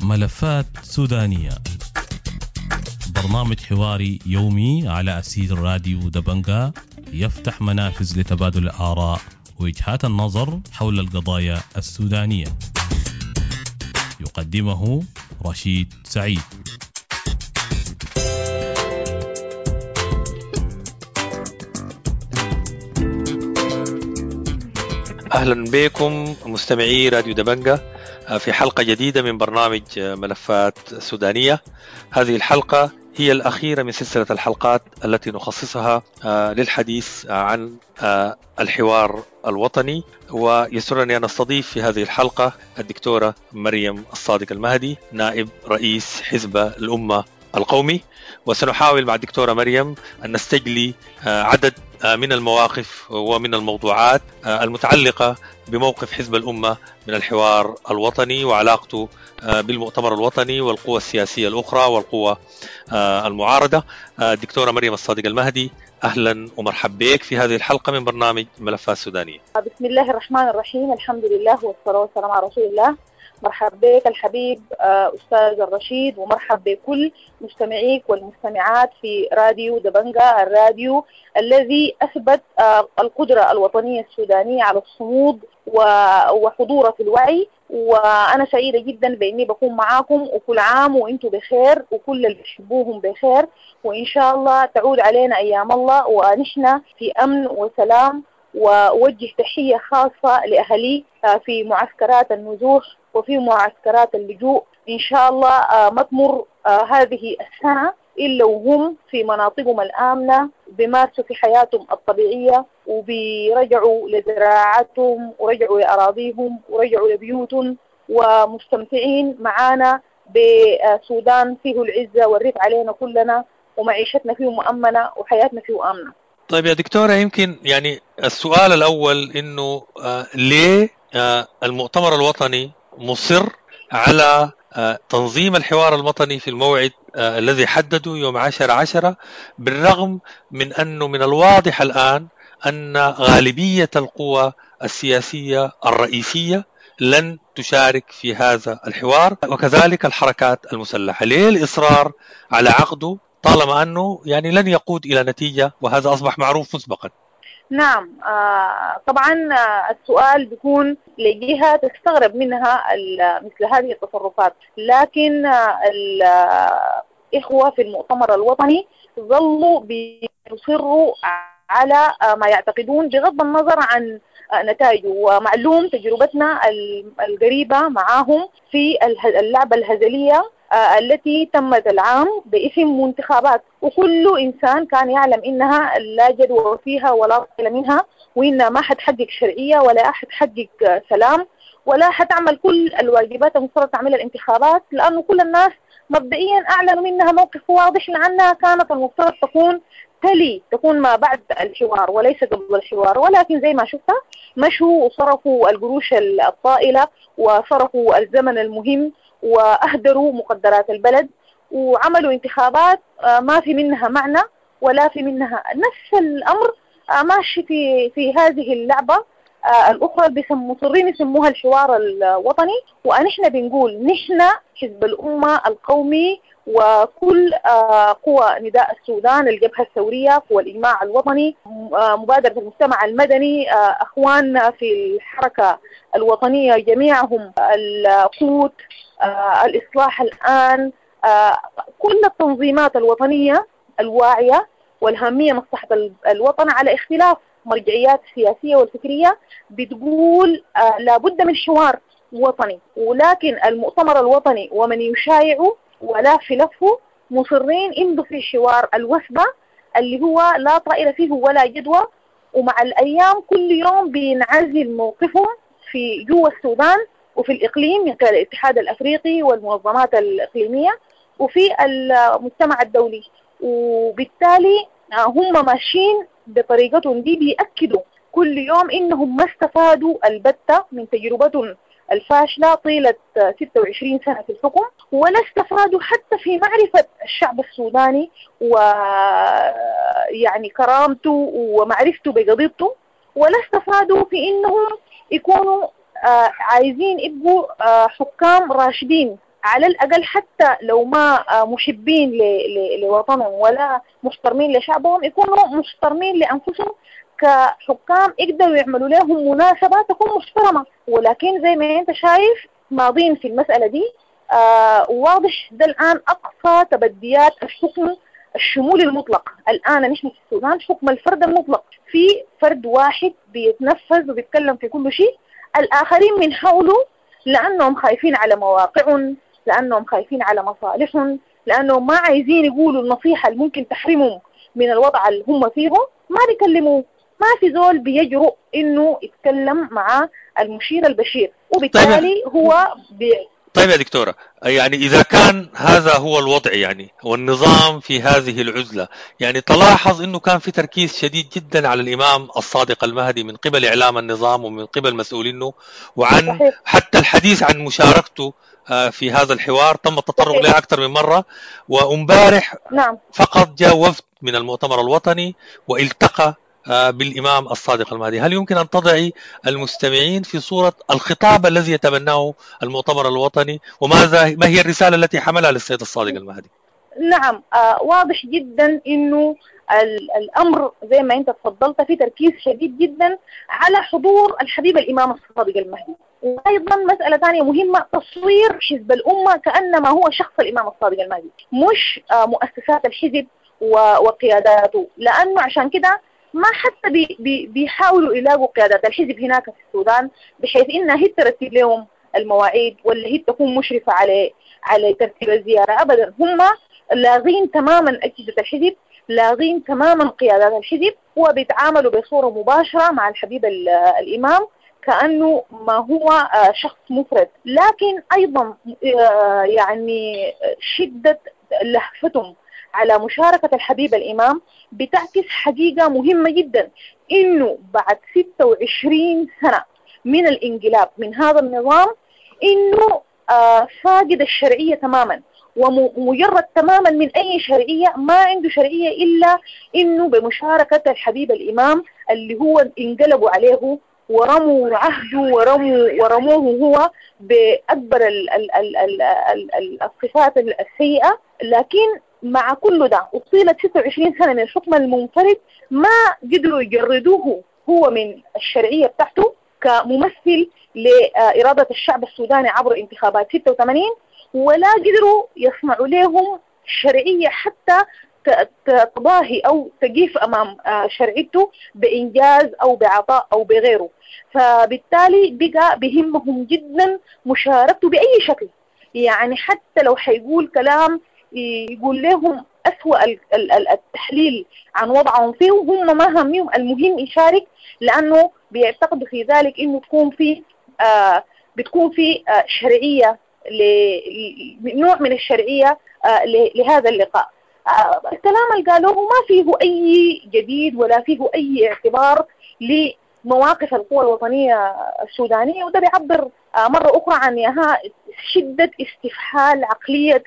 ملفات سودانية، برنامج حواري يومي على أسير راديو دبنجا، يفتح منافذ لتبادل الآراء ووجهات النظر حول القضايا السودانية. يقدمه رشيد سعيد. أهلا بكم مستمعي راديو دبنجا في حلقة جديدة من برنامج ملفات سودانية. هذه الحلقة هي الأخيرة من سلسلة الحلقات التي نخصصها للحديث عن الحوار الوطني، ويسرني أن أستضيف في هذه الحلقة الدكتورة مريم الصادق المهدي، نائب رئيس حزب الأمة القومي. وسنحاول مع الدكتورة مريم أن نستجلي عدد من المواقف ومن الموضوعات المتعلقة بموقف حزب الأمة من الحوار الوطني وعلاقته بالمؤتمر الوطني والقوى السياسية الأخرى والقوى المعارضة. الدكتورة مريم الصادق المهدي، أهلا ومرحبا بك في هذه الحلقة من برنامج ملفات سودانية. بسم الله الرحمن الرحيم، الحمد لله والصلاة والسلام على رسول الله. مرحبا بك الحبيب أستاذ الرشيد، ومرحب بكل مستمعيك والمستمعات في راديو دبنجا، الراديو الذي أثبت القدرة الوطنية السودانية على الصمود وحضوره في الوعي. وأنا سعيدة جدا بإني بكون معاكم، وكل عام وإنتم بخير وكل اللي بتحبوهم بخير، وإن شاء الله تعود علينا أيام الله ونحن في أمن وسلام. وأوجه تحية خاصة لأهلي في معسكرات النزوح وفي معسكرات اللجوء. إن شاء الله ما تمر هذه السنة إلا وهم في مناطقهم الآمنة بيمارسوا في حياتهم الطبيعية، وبيرجعوا لزراعتهم ورجعوا لأراضيهم ورجعوا لبيوتهم، ومستمتعين معانا بسودان فيه العزة والرفع علينا كلنا، ومعيشتنا فيه مؤمنة وحياتنا فيه آمنة. طيب يا دكتورة، يمكن يعني السؤال الأول إنه ليه المؤتمر الوطني مصر على تنظيم الحوار الوطني في الموعد الذي حدده يوم 10/10، بالرغم من أنه من الواضح الآن أن غالبية القوى السياسية الرئيسية لن تشارك في هذا الحوار، وكذلك الحركات المسلحة؟ ليه الإصرار على عقده طالما أنه يعني لن يقود إلى نتيجة، وهذا أصبح معروف مسبقا؟ نعم، طبعا السؤال بيكون لجهة تستغرب منها مثل هذه التصرفات، لكن الإخوة في المؤتمر الوطني ظلوا بيصروا على ما يعتقدون بغض النظر عن نتائجه. ومعلوم تجربتنا القريبة معاهم في اللعبة الهزلية التي تمت العام باسم منتخبات، وكل إنسان كان يعلم إنها لا جدوى فيها ولا طائل منها، وإنها ما حتحقق شرعية ولا حتحقق سلام ولا حتعمل كل الواجبات المفترض تعملها الانتخابات، لأنه كل الناس مبدئيا أعلنوا منها موقف واضح لأنها كانت المفترض تكون تلي تكون ما بعد الحوار وليس قبل الحوار. ولكن زي ما شفتها مشوا وصرفوا القروش الطائلة وصرفوا الزمن المهم وأهدروا مقدرات البلد وعملوا انتخابات ما في منها معنى ولا في منها. نفس الأمر ماشي في هذه اللعبة الأخرى مصرين يسموها الحوار الوطني. ونحن بنقول نحن حزب الأمة القومي وكل قوى نداء السودان، الجبهة الثورية، قوى الإجماع الوطني، مبادرة المجتمع المدني، أخواننا في الحركة الوطنية جميعهم، القوت، الإصلاح الآن، كل التنظيمات الوطنية الواعية والهامية مصلحة الوطن على اختلاف مرجعيات السياسية والفكرية بتقول لابد من حوار وطني. ولكن المؤتمر الوطني ومن يشايعه ولا في لفه مصرين يمضوا في حوار الوثبة اللي هو لا طائل فيه ولا جدوى، ومع الأيام كل يوم بينعزل موقفهم في جوا السودان وفي الإقليم من خلال الاتحاد الأفريقي والمنظمات الإقليمية وفي المجتمع الدولي. وبالتالي هم ماشيين بطريقتهم دي، بيأكدوا كل يوم إنهم ما استفادوا البتة من تجربتهم الفاشلة طيلة 26 سنة في الحكم، ولا استفادوا حتى في معرفة الشعب السوداني ويعني كرامته ومعرفته بقضيته. ولا استفادوا في إنهم يكونوا عايزين يبقوا حكام راشدين، على الأقل حتى لو ما محبين لوطنهم ولا محترمين لشعبهم، يكونوا محترمين لأنفسهم كحكام يقدروا يعملوا لهم مناسبة تكون محترمة. ولكن زي ما انت شايف ماضين في المسألة دي. واضح ده الآن أقصى تبديات الحكم الشمولي المطلق. الآن نحن في السودان حكم الفرد المطلق، في فرد واحد بيتنفذ وبيتكلم في كل شيء، الآخرين من حوله لأنهم خايفين على مواقعهم، لأنهم خايفين على مصالحهم، لأنهم ما عايزين يقولوا النصيحة اللي ممكن تحرمهم من الوضع اللي هم فيه، ما بيكلموا. ما في زول بيجرؤ إنه يتكلم مع المشير البشير، وبالتالي هو طيب يا دكتورة، يعني إذا كان هذا هو الوضع يعني والنظام في هذه العزلة، يعني تلاحظ أنه كان في تركيز شديد جدا على الإمام الصادق المهدي من قبل إعلام النظام ومن قبل مسؤولينه، وعن صحيح. حتى الحديث عن مشاركته في هذا الحوار تم التطرق له أكثر من مرة. وامبارح نعم. فقط جاء وفد من المؤتمر الوطني والتقى بالإمام الصادق المهدي. هل يمكن أن تضعي المستمعين في صورة الخطاب الذي يتبناه المؤتمر الوطني، وماذا ما هي الرسالة التي حملها للسيد الصادق المهدي؟ نعم، واضح جدا أنه الأمر زي ما أنت تفضلت في تركيز شديد جدا على حضور الحبيب الإمام الصادق المهدي. وأيضا مسألة ثانية مهمة، تصوير حزب الأمة كأنما هو شخص الإمام الصادق المهدي، مش مؤسسات الحزب وقياداته، لأنه عشان كده ما حتى بي بي بيحاولوا يلاقوا قيادات الحزب هناك في السودان بحيث إنها هي ترتب لهم المواعيد ولا هي تكون مشرفة على ترتيب الزيارة. أبدا، هم لاغين تماما أجهزة الحزب، لاغين تماما قيادات الحزب، وبيتعاملوا بصورة مباشرة مع الحبيب الإمام كأنه ما هو شخص مفرد. لكن أيضا يعني شدة لهفتهم على مشاركة الحبيب الإمام بتعكس حقيقة مهمة جدا، إنه بعد 26 سنة من الانقلاب من هذا النظام إنه فاقد الشرعية تماما ومجرد تماما من أي شرعية، ما عنده شرعية إلا إنه بمشاركة الحبيب الإمام اللي هو انقلبوا عليه ورموا عهده ورموه هو بأكبر الصفات السيئة. لكن مع كل ده وطيلة 26 سنة من الحكم المنفرد ما قدروا يجردوه هو من الشرعية بتاعته كممثل لإرادة الشعب السوداني عبر انتخابات 86، ولا قدروا يصنعوا لهم شرعية حتى تضاهي أو تقيف أمام شرعيته بإنجاز أو بعطاء أو بغيره. فبالتالي بقى بهمهم جدا مشاركته بأي شكل، يعني حتى لو حيقول كلام يقول لهم أسوأ التحليل عن وضعهم فيه وهم ما هميهم، المهم يشارك، لأنه بيعتقدوا في ذلك إنه تكون في بتكون في شرعية، نوع من الشرعية لهذا اللقاء. الكلام اللي قالوه ما فيه أي جديد ولا فيه أي اعتبار لمواقف القوى الوطنية السودانية، وده بيعبر مرة أخرى عن شدة استفحال عقلية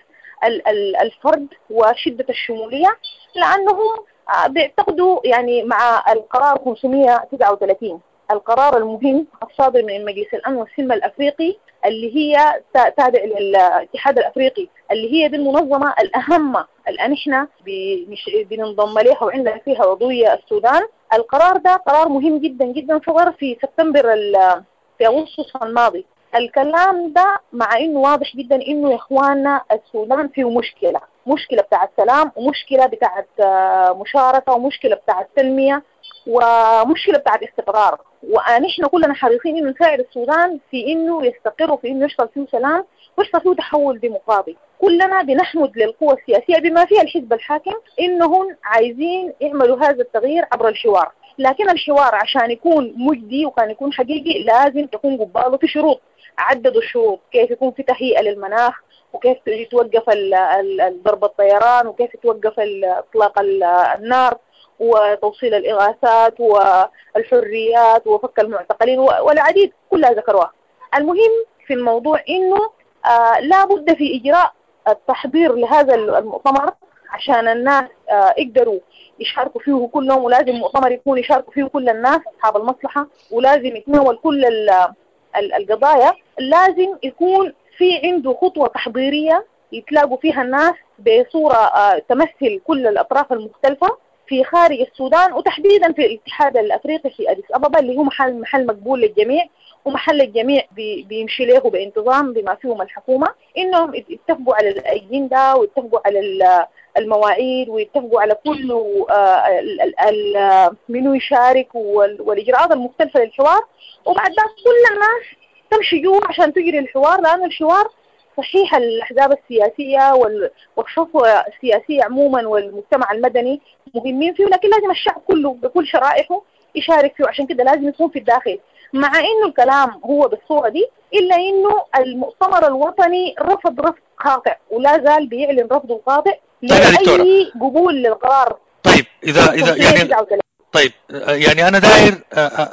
الفرد وشدة الشمولية، لأنهم بيعتقدوا يعني مع القرار 539، القرار المهم الصادر من مجلس الأمن والسلم الأفريقي اللي هي تابع للاتحاد الأفريقي، اللي هي دي المنظمة الأهم اللي احنا بننضم لها وعندنا فيها عضوية السودان. القرار ده قرار مهم جدا جدا، صدر في سبتمبر في أغسطس الماضي. الكلام ده مع انه واضح جدا انه يا اخواننا السودان فيه مشكلة، مشكلة بتاعت سلام، ومشكلة بتاعت مشاركة، ومشكلة بتاعت تنمية، ومشكلة بتاعت استقرار، ونحن كلنا حريصين انه نساعد السودان في انه يستقر وفي انه يحصل فيه سلام ويحصل فيه تحول ديمقراطي. كلنا بنحمد للقوى السياسية بما فيها الحزب الحاكم انهم عايزين يعملوا هذا التغيير عبر الحوار، لكن الحوار عشان يكون مجدي وكان يكون حقيقي لازم تكون قباله في شروط. عددوا الشروط، كيف يكون في تهيئة للمناخ، وكيف يتوقف ضرب الطيران، وكيف يتوقف اطلاق النار، وتوصيل الإغاثات والحريات وفك المعتقلين والعديد، كلها ذكروها. المهم في الموضوع إنه لا بد في إجراء التحضير لهذا المؤتمر عشان الناس يقدروا يشاركوا فيه كلهم، ولازم مؤتمر يكون يشاركوا فيه كل الناس أصحاب المصلحة، ولازم يتناول كل القضايا. لازم يكون في عنده خطوة تحضيرية يتلاقوا فيها الناس بصورة تمثل كل الأطراف المختلفة في خارج السودان، وتحديدا في الاتحاد الأفريقي في أديس أبابا اللي هو محل مقبول للجميع، ومحل الجميع بيمشي له بانتظام بما فيهم الحكومة، إنهم يتفقوا على الأجندة ويتفقوا على المواعيد ويتفقوا على كل منو يشارك والإجراءات المختلفة للحوار. وبعد ذلك كل الناس تمشي جوا عشان تجري الحوار، لأن الحوار صحيح الأحزاب السياسية والصفوة السياسية عموما والمجتمع المدني مهمين فيه، لكن لازم الشعب كله بكل شرائحه يشارك فيه، عشان كده لازم يكون في الداخل. مع إنه الكلام هو بالصورة دي، إلا إنه المؤتمر الوطني رفض رفض قاطع، ولا زال بيعلن رفضه القاطع لأي قبول للقرار. طيب إذا يعني طيب يعني أنا داير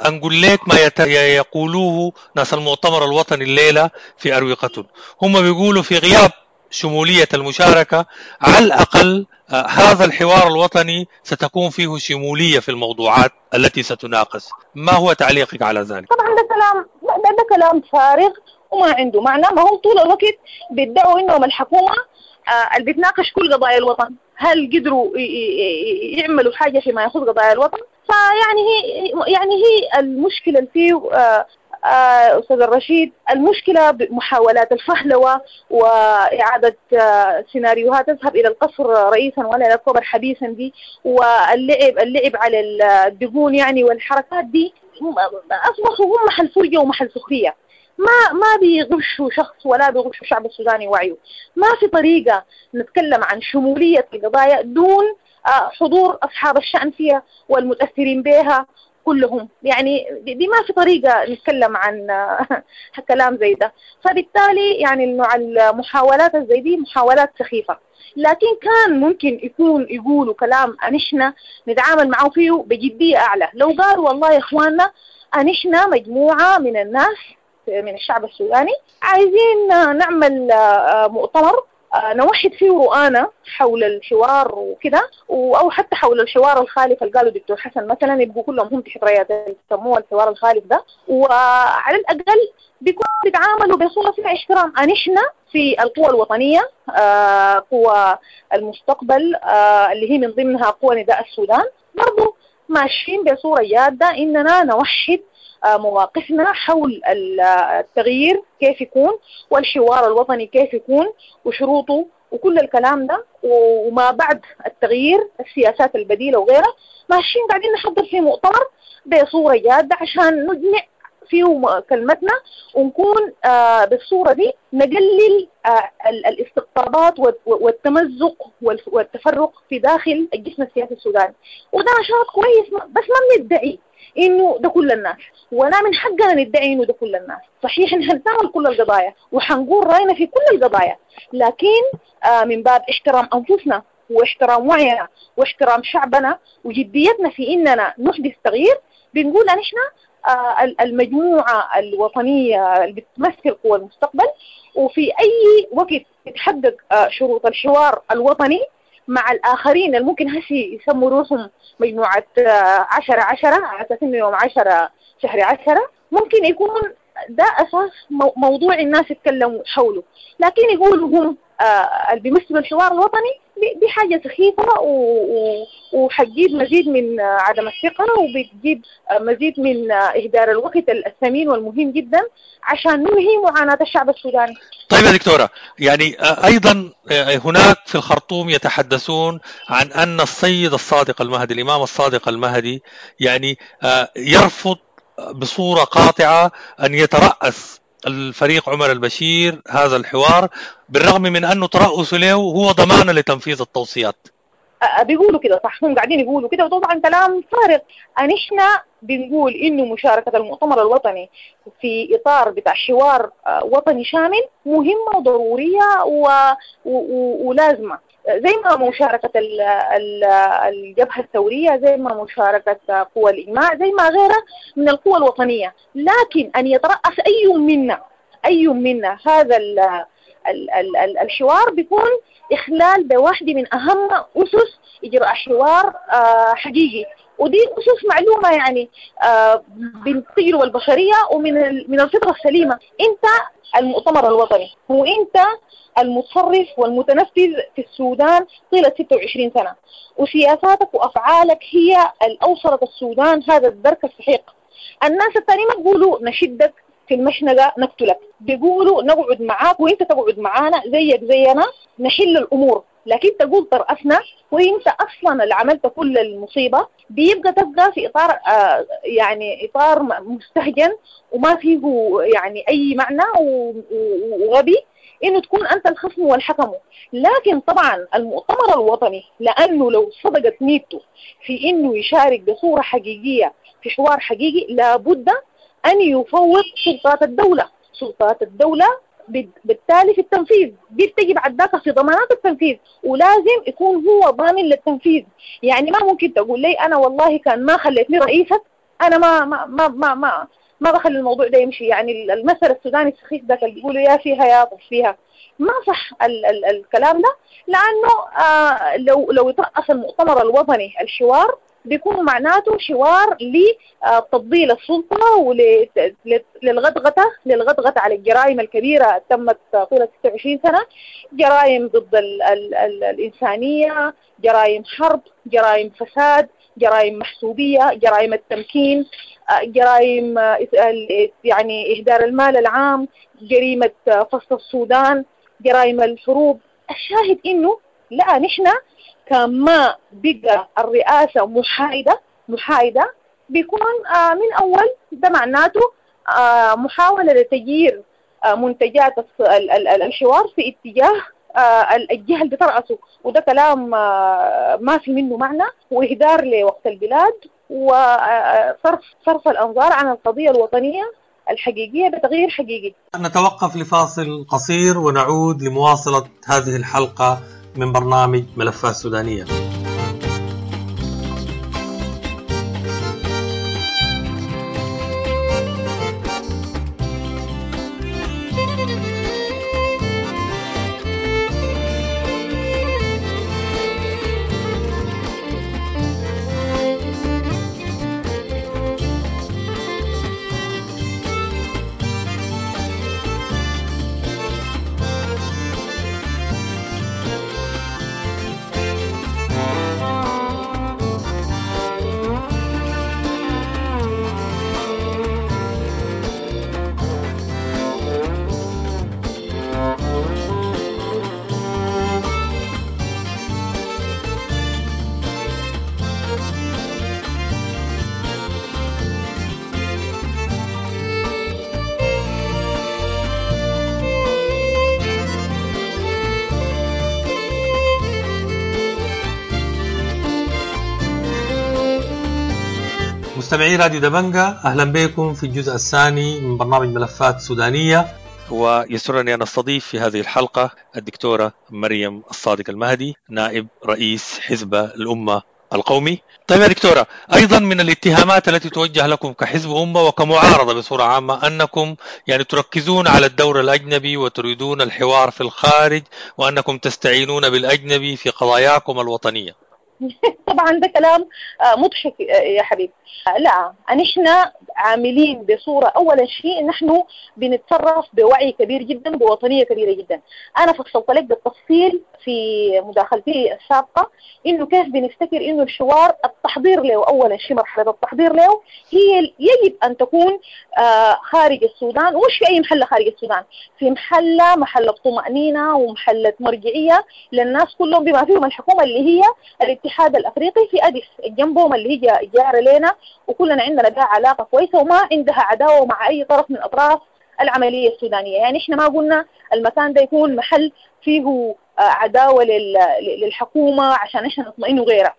أنقل لك ما يقولوه ناس المؤتمر الوطني الليلة في أروقتهم. هم بيقولوا في غياب شمولية المشاركة على الأقل هذا الحوار الوطني ستكون فيه شمولية في الموضوعات التي ستناقش. ما هو تعليقك على ذلك؟ طبعا ده كلام فارغ وما عنده معنى. ما هم طول الوقت بيدعوا إنهم الحكومة اللي بتناقش كل قضايا الوطن، هل قدروا يعملوا حاجة فيما يخص قضايا الوطن؟ فيعني هي المشكلة اللي فيه أستاذ الرشيد، المشكلة بمحاولات الفهلوة وإعادة سيناريوهات تذهب إلى القصر رئيسا ولا إلى الكوبر حبيسا دي، واللعب على الدقون يعني والحركات دي، أصبحوا هم محل فرجة ومحل سخرية. ما بيغشوا شخص ولا بيغشوا الشعب السوداني وعيه. ما في طريقة نتكلم عن شمولية القضايا دون حضور أصحاب الشأن فيها والمتأثرين بها كلهم. يعني دي ما في طريقة نتكلم عن كلام زي ده. فبالتالي يعني نوع المحاولات زي دي محاولات سخيفة، لكن كان ممكن يكون يقولوا كلام نحن نتعامل معه فيه بجدية أعلى. لو قالوا والله يا إخواننا نحن مجموعة من الناس من الشعب السوداني عايزين نعمل مؤتمر نوحد فيه رؤانا حول الحوار وكده، أو حتى حول الحوار الخالف اللي قالوا دكتور حسن مثلا، يبقوا كلهم هم تحت رايات يسموه الحوار الخالف ده، وعلى الأقل بيكونوا بيتعاملوا بصورة فيها احترام. نحن في القوى الوطنية، قوى المستقبل اللي هي من ضمنها قوى نداء السودان، برضو ماشيين بصورة جادة إننا نوحد مواقفنا حول التغيير كيف يكون، والحوار الوطني كيف يكون وشروطه وكل الكلام ده، وما بعد التغيير السياسات البديلة وغيرها. ماشيين قاعدين نحضر في مؤتمر بصورة جادة عشان نجمع فيه كلمتنا ونكون بالصورة دي نقلل الاستقطابات والتمزق والتفرق في داخل الجسم السياسي السوداني. وده نشاط كويس، بس ما بندعي إنه ده كل الناس، ولا من حقنا ندعي إنه ده كل الناس. صحيح إن حنتناول كل القضايا وحنقول رأينا في كل القضايا، لكن من باب احترام أنفسنا واحترام وعينا واحترام شعبنا وجديتنا في إننا نحدث تغيير، بنقول نحن المجموعة الوطنية اللي بتمثل قوى المستقبل، وفي أي وقت تتحقق شروط الحوار الوطني مع الآخرين اللي ممكن هسي يسموا روحهم مجموعة 10-10 على أساس إنه يوم 10 شهر 10، ممكن يكون ده أساس موضوع الناس يتكلموا حوله. لكن يقولوا هم اللي بيمثلوا الحوار الوطني دي حاجة سخيفة وحتجيب مزيد من عدم الثقة، وبتجيب مزيد من إهدار الوقت الثمين والمهم جدا عشان ننهي معاناة الشعب السوداني. طيب يا دكتورة، يعني أيضا هناك في الخرطوم يتحدثون عن أن السيد الصادق المهدي، الإمام الصادق المهدي، يعني يرفض بصورة قاطعة أن يترأس الفريق عمر البشير هذا الحوار، بالرغم من أنه ترأسه له هو ضمانة لتنفيذ التوصيات. بيقولوا كده، صح، هم قاعدين يقولوا كده، وطبعا كلام فارغ. نحن بنقول إنه مشاركة المؤتمر الوطني في إطار بتاع حوار وطني شامل مهمة وضرورية ولازمة، زي ما مشاركة الجبهة الثورية، زي ما مشاركة قوى الإجماع، زي ما غيرها من القوى الوطنية. لكن أن يترأس أي منا هذا الحوار بيكون إخلال بواحدة من أهم أسس إجراء حوار حقيقي، ودي أسس معلومة يعني بالتجربة البشرية ومن الفطرة السليمة. أنت المؤتمر الوطني هو أنت المتصرف والمتنفذ في السودان طيلة 26 سنة، وسياساتك وأفعالك هي الأوصلت السودان هذا الدرك السحيق. الناس الثانيين ما بيقولوا نشدك في المشنقة نقتلك، بيقولوا نقعد معاك وانت تقعد معانا زيك زينا نحل الأمور. لكن تقول ترأسنا وانت أصلا اللي عملت كل المصيبة، بيبقى تبقى في إطار يعني إطار مستهجن وما فيه يعني أي معنى وغبي إنه تكون أنت الخصم والحكم. لكن طبعا المؤتمر الوطني لأنه لو صدقت نيته في إنه يشارك بصورة حقيقية في حوار حقيقي، لابد أن يفوض سلطات الدولة. سلطات الدولة بالتالي في التنفيذ دي بتجي بعد ذاك في ضمانات التنفيذ، ولازم يكون هو ضامن للتنفيذ. يعني ما ممكن تقول لي أنا والله كان ما خليتني رئيسك أنا ما ما ما ما ما, ما بخلي الموضوع ده يمشي. يعني المثل السوداني السخيف ذاك اللي بيقولوا يا فيها يا طف فيها، ما صح ال ال الكلام ده. لأنه لو يترأس المؤتمر الوطني الحوار بيكون معناته حوار لتفضيل السلطة وللغدغة للغدغة على الجرائم الكبيرة تمت طيلة 26 سنة، جرائم ضد ال ال ال الإنسانية، جرائم حرب، جرائم فساد، جرائم محسوبية، جرائم التمكين، جرائم يعني إهدار المال العام، جريمة فصل السودان، جرائم الحروب. الشاهد إنه لا، نحن كما بقى الرئاسة محايدة بيكون من أول ده معناته محاولة لتغيير منتجات الحوار في اتجاه الجهة اللي بترأسه، وده كلام ما في منه معنى وإهدار لوقت البلاد وصرف الأنظار عن القضية الوطنية الحقيقية بتغيير حقيقي. نتوقف لفاصل قصير ونعود لمواصلة هذه الحلقة من برنامج ملفات سودانية. مستمعي راديو دبنجة، أهلا بكم في الجزء الثاني من برنامج ملفات سودانية، ويسرني أن أستضيف في هذه الحلقة الدكتورة مريم الصادق المهدي، نائب رئيس حزب الأمة القومي. طيب يا دكتورة، أيضا من الاتهامات التي توجه لكم كحزب أمة وكمعارضة بصورة عامة أنكم يعني تركزون على الدور الأجنبي وتريدون الحوار في الخارج وأنكم تستعينون بالأجنبي في قضاياكم الوطنية. طبعا ده كلام مضحك يا حبيبي. لا، نحن عاملين بصورة، أولا شيء نحن بنتصرف بوعي كبير جدا بوطنية كبيرة جدا. أنا فصلت لك بالتفصيل في مداخلتي السابقة إنه كيف بنفتكر إنه الحوار التحضير له، أولا شيء مرحلة التحضير له هي يجب أن تكون خارج السودان، ومش في أي محلة خارج السودان، في محلة طمأنينة ومحلة مرجعية للناس كلهم بما فيهم الحكومة اللي هي الاتحاد الأفريقي في أديس جنبهم اللي هي جارة لنا، وكلنا عندنا بها علاقة كويسة وما عندها عداوة مع أي طرف من أطراف العملية السودانية. يعني إحنا ما قلنا المكان ده يكون محل فيه عداوة للحكومة عشان إحنا نطمئن وغيرها.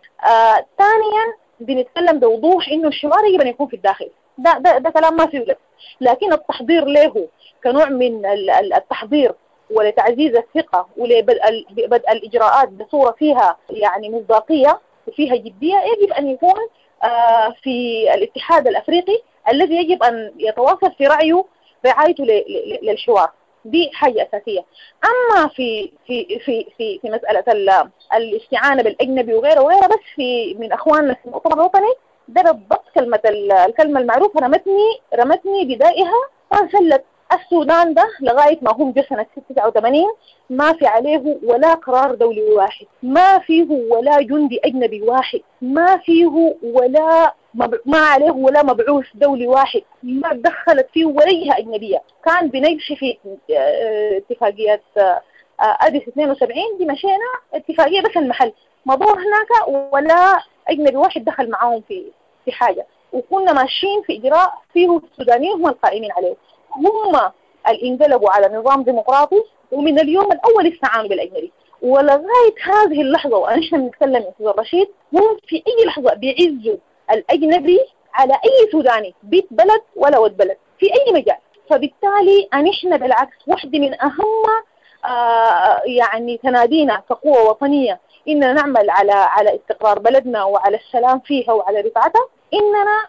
ثانيا بنتكلم بوضوح إنه الحوار يجب أن يكون في الداخل، ده ده ده كلام ما فيه لبس، لكن التحضير له كنوع من التحضير ولتعزيز الثقة ولبدء الإجراءات بصورة فيها يعني مصداقية وفيها جدية يجب أن يكون في الاتحاد الأفريقي الذي يجب أن يتواصل في رعايته للحوار. دي حاجة أساسية. أما في في في في في مسألة الاستعانة بالأجنبي وغيره وغيره، بس في من أخواننا في المؤتمر الوطني ده بالضبط كلمة الكلمة المعروفة رمتني بدائها وانسلت. السودان ده لغاية ما هم جو سنة 89 ما في عليه ولا قرار دولي واحد، ما فيه ولا جندي أجنبي واحد، ما فيه ولا ما عليه ولا مبعوث دولي واحد، ما دخلت فيه ولا جهة أجنبية. كان بنمشي في اتفاقيات أديس 72 دي، مشينا اتفاقية بس المحل مضوه هناك ولا أجنبي واحد دخل معاهم في حاجة، وكنا ماشيين في إجراء فيه السودانيين هم القائمين عليه، هم اللي انقلبوا على نظام ديمقراطي، ومن اليوم الأول استعانوا بالأجنبي. ولغاية هذه اللحظة وأنحن بنتكلم أستاذ الرشيد، هم في أي لحظة بيعزوا الأجنبي على أي سوداني، بيت بلد ولا ود بلد، في أي مجال. فبالتالي أنحن بالعكس واحدة من أهم يعني تنادينا كقوة وطنية إننا نعمل على استقرار بلدنا وعلى السلام فيها وعلى رفعتها، إننا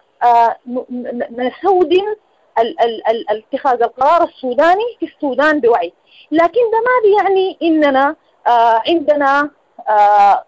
نسودن اتخاذ القرار السوداني في السودان بوعي. لكن ده ما بيعني إننا عندنا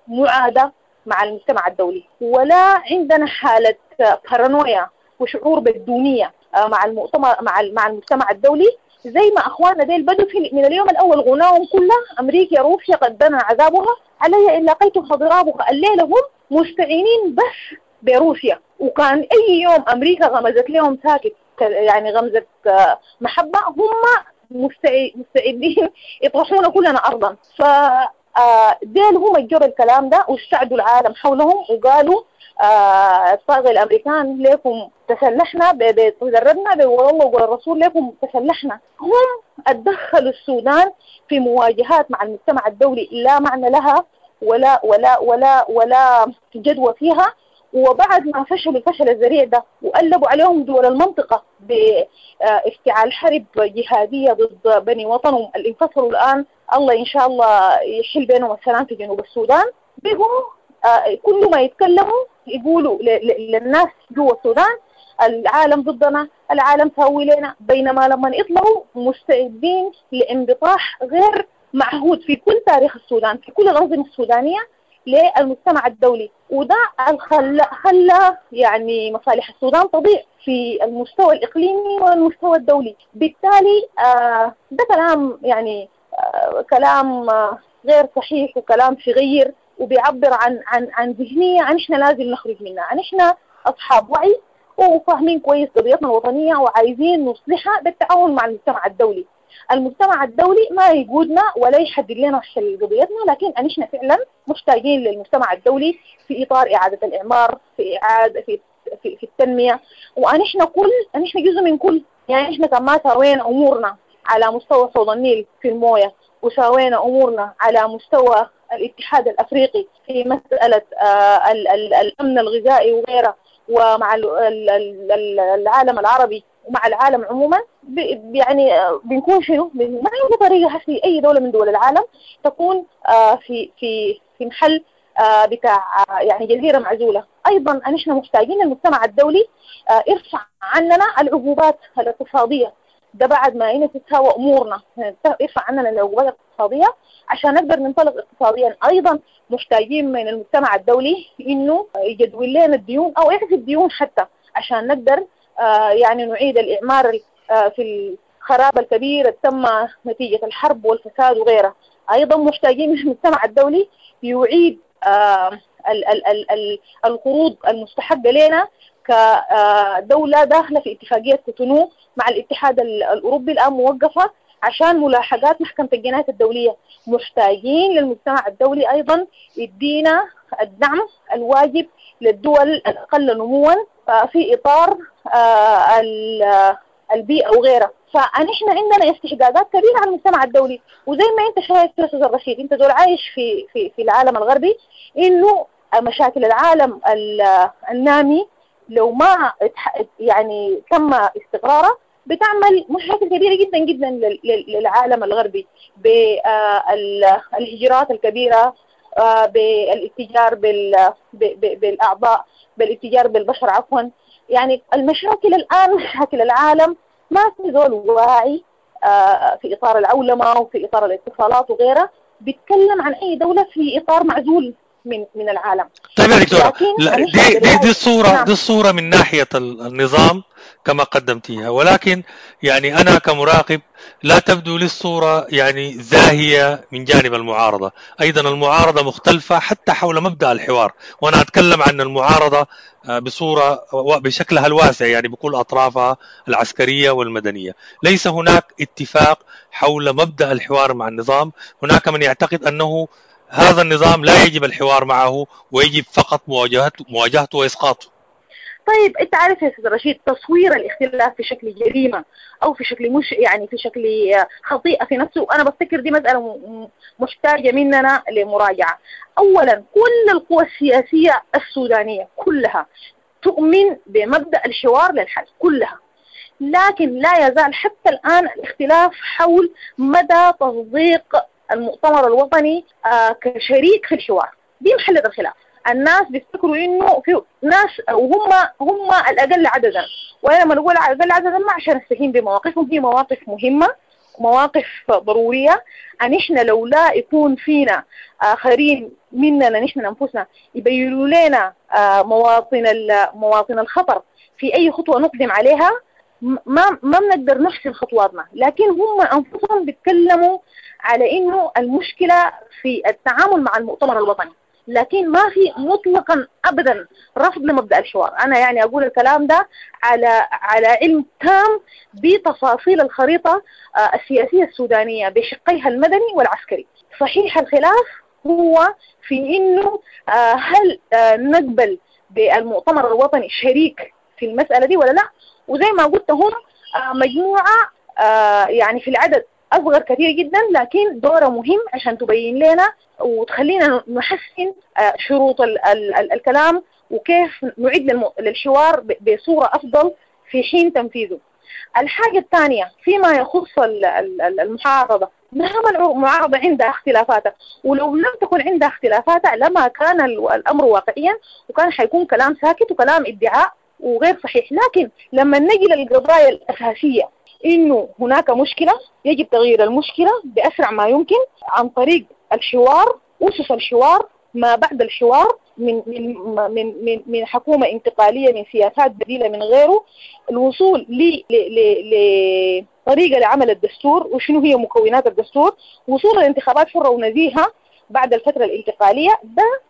معادة مع المجتمع الدولي، ولا عندنا حالة بارانويا وشعور بالدونية مع المؤتمر مع المجتمع الدولي، زي ما أخواننا ديل بدوا من اليوم الأول غناهم كله أمريكا روسيا قد دنا عذابها علي إن لقيتها ضرابها. الليلة هم مستعينين بس بروسيا، وكان أي يوم أمريكا غمزت لهم ساكت يعني غمزة محبة، هم مستعدين يطرحونا كلنا أرضا. فديل هم الجروا الكلام ده واستعدوا العالم حولهم وقالوا الطاغي الأمريكان ليكم تسلحنا، تدربنا والله وقول الرسول ليكم تسلحنا. هم اتدخلوا السودان في مواجهات مع المجتمع الدولي لا معنى لها ولا ولا ولا ولا جدوى فيها. وبعد ما فشلوا الفشل الذريع ده وقلبوا عليهم دول المنطقة بافتعال حرب جهادية ضد بني وطنهم اللي انفصلوا الآن، الله إن شاء الله يحل بينهم السلام في جنوب السودان، بيقوموا كل ما يتكلموا يقولوا للناس جوا السودان العالم ضدنا، العالم سوي لنا، بينما لما يطلعوا مستعدين لانبطاح غير معهود في كل تاريخ السودان، في كل الأنظمة السودانية للمجتمع الدولي. وده خلى يعني مصالح السودان تضيع في المستوى الإقليمي والمستوى الدولي. بالتالي ده كلام يعني كلام غير صحيح وكلام صغير، وبيعبر عن عن عن ذهنية عن احنا لازم نخرج منها. عن احنا أصحاب وعي وفاهمين كويس قضيتنا الوطنية وعايزين نصلحها بالتعاون مع المجتمع الدولي. المجتمع الدولي ما يقودنا ولا يحدد لنا حل قضيتنا، لكن احنا فعلا محتاجين للمجتمع الدولي في إطار إعادة الإعمار، في إعادة في في, في التنمية. ونحن كل نحن جزء من كل، يعني احنا كما سوينا أمورنا على مستوى حوض النيل في الموية، وسوينا أمورنا على مستوى الاتحاد الأفريقي في مسألة الأمن الغذائي وغيره، ومع العالم العربي ومع العالم عموما، يعني بنكون شنو؟ ما عندنا طريقة في أي دولة من دول العالم تكون في في في محل بتاع يعني جزيرة معزولة. أيضا نحن محتاجين المجتمع الدولي يرفع عننا العقوبات الاقتصادية، ده بعد ما إنه تتساوى أمورنا، يرفع عننا العقوبات الاقتصادية عشان نقدر ننطلق اقتصاديا. أيضا محتاجين من المجتمع الدولي إنه يجدول لنا الديون أو يعفي الديون حتى عشان نقدر يعني نعيد الإعمار في الخراب الكبير تم نتيجة الحرب والفساد وغيرها. أيضا محتاجين من المجتمع الدولي يعيد القروض المستحقة لنا كدولة داخلة في اتفاقية كوتونو مع الاتحاد الأوروبي الآن موقفة عشان ملاحقات محكمة الجنايات الدولية. محتاجين للمجتمع الدولي أيضا يدينا الدعم الواجب للدول الأقل نموا في إطار البيئة وغيرها. فنحن عندنا استحقاقات كبيرة على المجتمع الدولي. وزي ما انت شايف يا استاذ الرشيد، انت زول عايش في في في العالم الغربي، انه مشاكل العالم النامي لو ما يعني تم استقرارها بتعمل مشاكل كبيرة جدا جدا للعالم الغربي، بالهجرات الكبيرة، بالاتجار بالأعضاء، بالاتجار بالبشر عفوا. يعني المشاكل الآن مشاكل العالم ما في زول واعي في إطار العولمة وفي إطار الاتصالات وغيرها، بيتكلم عن أي دولة في إطار معزول من العالم. طيب يا دكتورة، دي الصورة. نعم. دي الصورة من ناحية النظام كما قدمتيها، ولكن يعني أنا كمراقب لا تبدو لي الصورة يعني زاهية من جانب المعارضة. أيضا المعارضة مختلفة حتى حول مبدأ الحوار، وأنا أتكلم عن المعارضة بصورة بشكلها الواسع، يعني بكل أطرافها العسكرية والمدنية. ليس هناك اتفاق حول مبدأ الحوار مع النظام. هناك من يعتقد أنه هذا النظام لا يجب الحوار معه ويجب فقط مواجهته وإسقاطه. طيب انت عارف يا استاذ رشيد، تصوير الاختلاف في شكل جريمة او في شكل مش يعني في شكل خطيئة في نفسه، انا بفتكر دي مسالة محتاجه مننا لمراجعه. اولا كل القوى السياسية السودانية كلها تؤمن بمبدا الحوار للحل كلها، لكن لا يزال حتى الان الاختلاف حول مدى تصديق المؤتمر الوطني كشريك في الحوار. دي محلة الخلاف. الناس بيفتكروا انه في ناس وهم هم الاقل عددا، وانا لما نقول الاقل عددا ما عشان نستهين بمواقفهم، هي مواقف مهمة مواقف ضرورية. ان احنا لو لا يكون فينا اخرين مننا نحن انفسنا يبينوا لنا مواطن الخطر في اي خطوة نقدم عليها، ما بنقدر نحسن خطواتنا. لكن هم انفسهم بيتكلموا على انه المشكلة في التعامل مع المؤتمر الوطني، لكن ما في مطلقا ابدا رفض لمبدا الحوار. انا يعني اقول الكلام ده على علم تام بتفاصيل الخريطة السياسية السودانية بشقيها المدني والعسكري. صحيح الخلاف هو في انه هل نقبل بالمؤتمر الوطني شريك في المسالة دي ولا لا. وزي ما قلت هم مجموعة يعني في العدد أصغر كثير جدا، لكن دوره مهم عشان تبين لنا وتخلينا نحسن شروط الكلام وكيف نعيد للحوار بصورة أفضل في حين تنفيذه. الحاجة الثانية فيما يخص المعارضة، نعم المعارضة عندها اختلافاتها، ولو لم تكن عندها اختلافاتها لما كان الأمر واقعيا، وكان حيكون كلام ساكت وكلام ادعاء وغير صحيح. لكن لما نجي للقضايا الأساسية إنه هناك مشكلة يجب تغيير المشكلة بأسرع ما يمكن عن طريق الحوار، أسس الحوار، ما بعد الحوار، من من من من من حكومة انتقالية، من سياسات بديلة، من غيره، الوصول لطريقة لعمل الدستور وشنو هي مكونات الدستور، وصول الانتخابات حرة ونزيهة بعد الفترة الانتقالية. ده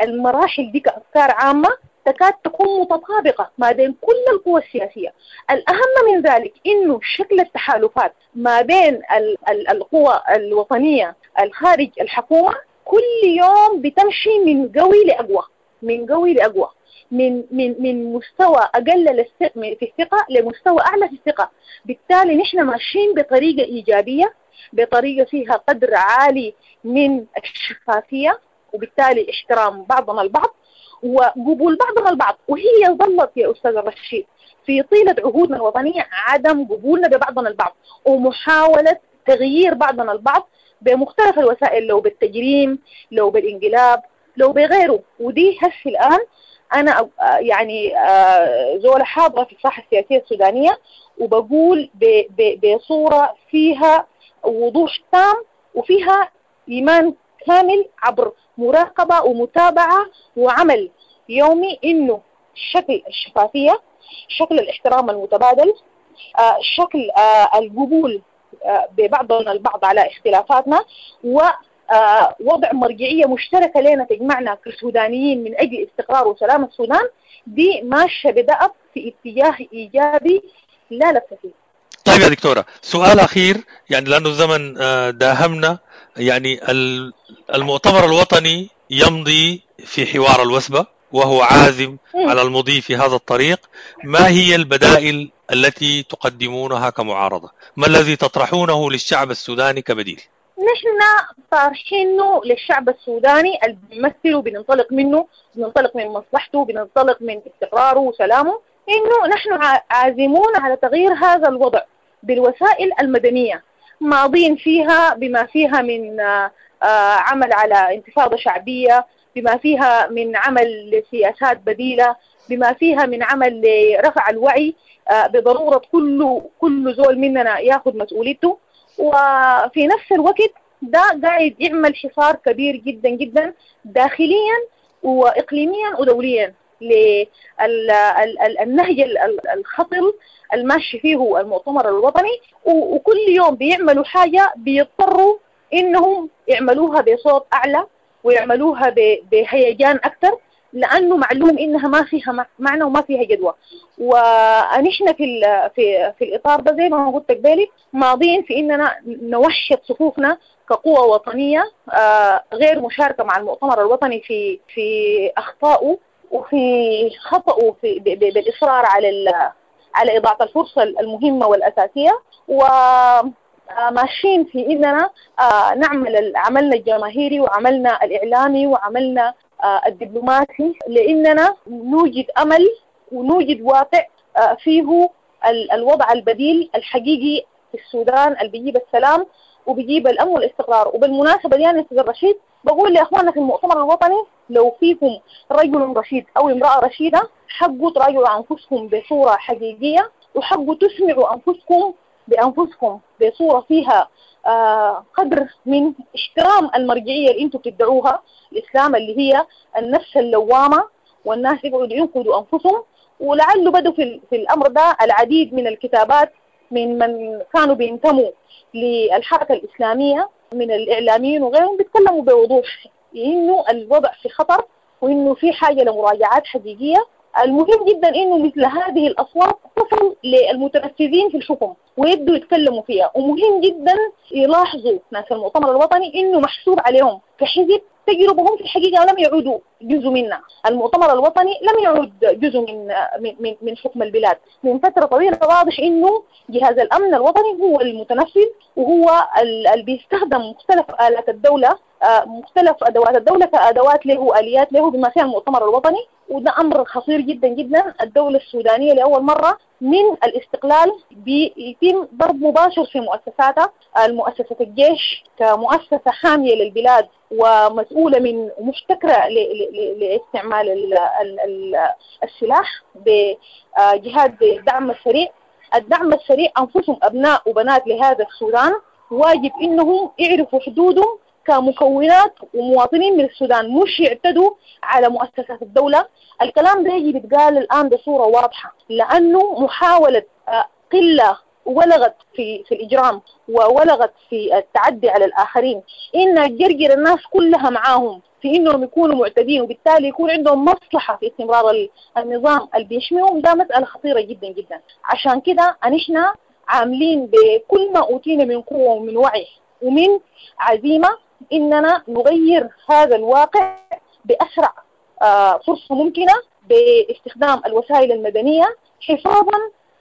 المراحل دي كأفكار عامة تكاد تكون متطابقة ما بين كل القوى السياسية. الأهم من ذلك إنه شكل التحالفات ما بين القوى الوطنية الخارج الحكومة كل يوم بتمشي من قوي لأقوى، من قوي لأقوى، من من من مستوى أقل في الثقة لمستوى أعلى في الثقة. بالتالي نحن ماشيين بطريقة إيجابية، بطريقة فيها قدر عالي من الشفافية، وبالتالي احترام بعضنا البعض وقبول بعضنا البعض. وهي ظلت يا أستاذ الرشيد في طيلة عهودنا الوطنية عدم قبولنا ببعضنا البعض ومحاولة تغيير بعضنا البعض بمختلف الوسائل، لو بالتجريم، لو بالانقلاب، لو بغيره. ودي هسه الآن أنا يعني زولة حاضرة في الساحة السياسية السودانية، وبقول بصورة فيها وضوح تام وفيها إيمان كامل عبر مراقبة ومتابعة وعمل يومي إنه شكل الشفافية، شكل الاحترام المتبادل، شكل القبول ببعضنا البعض على اختلافاتنا، ووضع مرجعية مشتركة لنا تجمعنا كسودانيين من أجل استقرار وسلام السودان، دي ماشية بدأت في اتجاه إيجابي لا لبس فيه. طيب يا دكتورة، سؤال أخير يعني لأنه الزمن داهمنا. يعني المؤتمر الوطني يمضي في حوار الوثبة وهو عازم على المضي في هذا الطريق. ما هي البدائل التي تقدمونها كمعارضة؟ ما الذي تطرحونه للشعب السوداني كبديل؟ نحن طارحينه للشعب السوداني اللي بنمثله، بننطلق منه، بننطلق من مصلحته، بننطلق من استقراره وسلامه، إنه نحن عازمون على تغيير هذا الوضع بالوسائل المدنية، ماضين فيها بما فيها من عمل على انتفاضة شعبية، بما فيها من عمل لسياسات بديلة، بما فيها من عمل لرفع الوعي، بضرورة كل زول مننا ياخذ مسؤوليته. وفي نفس الوقت ده قاعد يعمل حصار كبير جدا جدا داخليا وإقليميا ودوليا للنهج الخطر الماشي فيه المؤتمر الوطني. وكل يوم بيعملوا حاجة بيضطروا إنهم يعملوها بصوت أعلى ويعملوها بهيجان أكثر، لأنه معلوم إنها ما فيها معنى وما فيها جدوى. ونحن في في في الإطار ده زي ما قلت قبالي ماضين في إننا نوحد صفوفنا كقوة وطنية غير مشاركة مع المؤتمر الوطني في أخطائه وفي خطأه في بالإصرار على إضاعة الفرصة المهمة والأساسية، وماشيين في إننا نعمل عملنا الجماهيري وعملنا الإعلامي وعملنا الدبلوماسي، لأننا نوجد أمل ونوجد واقع فيه الوضع البديل الحقيقي في السودان اللي بيجيب السلام وبيجيب الأمن والاستقرار. وبالمناسبة دي أنا أستاذ الرشيد بقول لأخواننا في المؤتمر الوطني، لو فيكم رجل رشيد أو امرأة رشيدة حقوا تراجعوا أنفسكم بصورة حقيقية، وحقوا تسمعوا أنفسكم بأنفسكم بصورة فيها قدر من احترام المرجعية اللي انتم بتدعوها الإسلام، اللي هي النفس اللوامة، والناس يقعدوا ينقدوا أنفسهم. ولعله بدوا في الأمر ده العديد من الكتابات من كانوا بينتموا للحركة الإسلامية من الإعلاميين وغيرهم، بيتكلموا بوضوح إنه الوضع في خطر وإنه في حاجة لمراجعات حقيقية. المهم جدا إنه مثل هذه الأصوات تصل للمتنفذين في الحكم ويبدوا يتكلموا فيها. ومهم جدا يلاحظوا ناس المؤتمر الوطني إنه محسوب عليهم كحزب تجربهم في الحقيقة لم يعودوا جزء منا. المؤتمر الوطني لم يعود جزء من من من حكم البلاد من فترة طويلة. واضح إنه جهاز الأمن الوطني هو المتنفذ، وهو اللي بيستخدم مختلف آلات الدولة، مختلف أدوات الدولة كأدوات له وآليات له بما فيها المؤتمر الوطني. وده أمر خطير جدا جدا. الدولة السودانية لأول مرة من الاستقلال بيتم ضرب مباشر في مؤسساتها، المؤسسة الجيش كمؤسسة حامية للبلاد ومسؤولة من محتكرة لاستعمال السلاح بجهاد الدعم السريع. الدعم السريع أنفسهم أبناء وبنات لهذا السودان، واجب إنهم يعرفوا حدودهم كمكونات ومواطنين من السودان، مش يعتدوا على مؤسسات الدولة. الكلام ده يجي بيتقال الآن بصورة واضحة، لأنه محاولة قلة ولغت في الإجرام وولغت في التعدي على الآخرين، إن تجرجر الناس كلها معاهم في إنهم يكونوا معتدين، وبالتالي يكون عندهم مصلحة في استمرار النظام اللي بيحميهم، ده مسألة خطيرة جدا جدا. عشان كده نحن عاملين بكل ما أوتينا من قوة ومن وعي ومن عزيمة إننا نغير هذا الواقع بأسرع فرصة ممكنة باستخدام الوسائل المدنية، حفاظا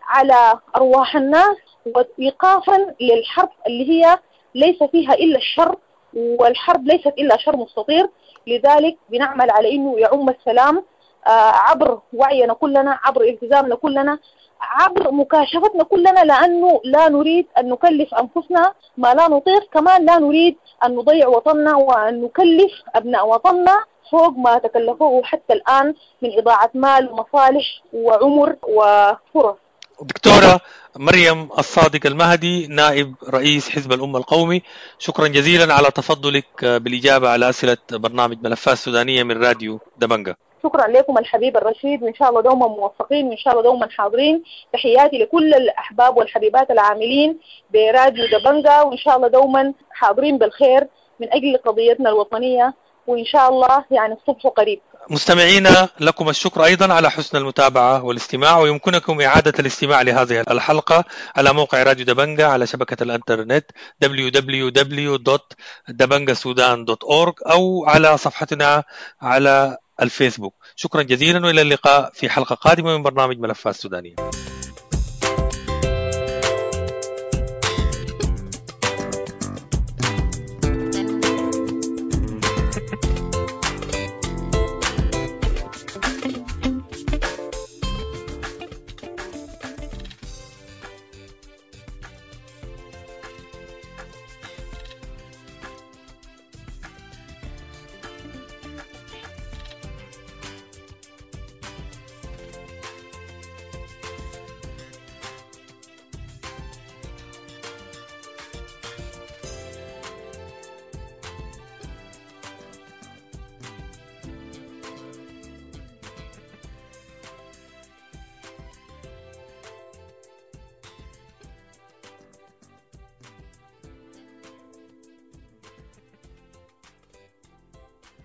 على أرواح الناس وإيقافا للحرب اللي هي ليس فيها إلا الشر، والحرب ليست إلا شر مستطير. لذلك بنعمل على إنه يعم السلام عبر وعينا كلنا، عبر التزامنا كلنا، عبر مكاشفتنا كلنا، لأنه لا نريد أن نكلف أنفسنا ما لا نطيق، كمان لا نريد أن نضيع وطننا وأن نكلف أبناء وطننا فوق ما تكلفوه حتى الآن من إضاعة مال ومصالح وعمر وفرص. دكتورة مريم الصادق المهدي، نائب رئيس حزب الأمة القومي، شكرا جزيلا على تفضلك بالإجابة على أسئلة برنامج ملفات سودانية من راديو دبنجة. شكرا لكم الحبيب الرشيد، وإن شاء الله دوما موفقين وإن شاء الله دوما حاضرين. تحياتي لكل الأحباب والحبيبات العاملين براديو دبنجة، وإن شاء الله دوما حاضرين بالخير من أجل قضيتنا الوطنية، وإن شاء الله يعني الصبح قريب. مستمعينا لكم الشكر أيضا على حسن المتابعة والاستماع، ويمكنكم إعادة الاستماع لهذه الحلقة على موقع راديو دبنجة على شبكة الإنترنت www.dabangasudan.org أو على صفحتنا على الفيسبوك. شكرا جزيلا وإلى اللقاء في حلقة قادمة من برنامج ملفات سودانية.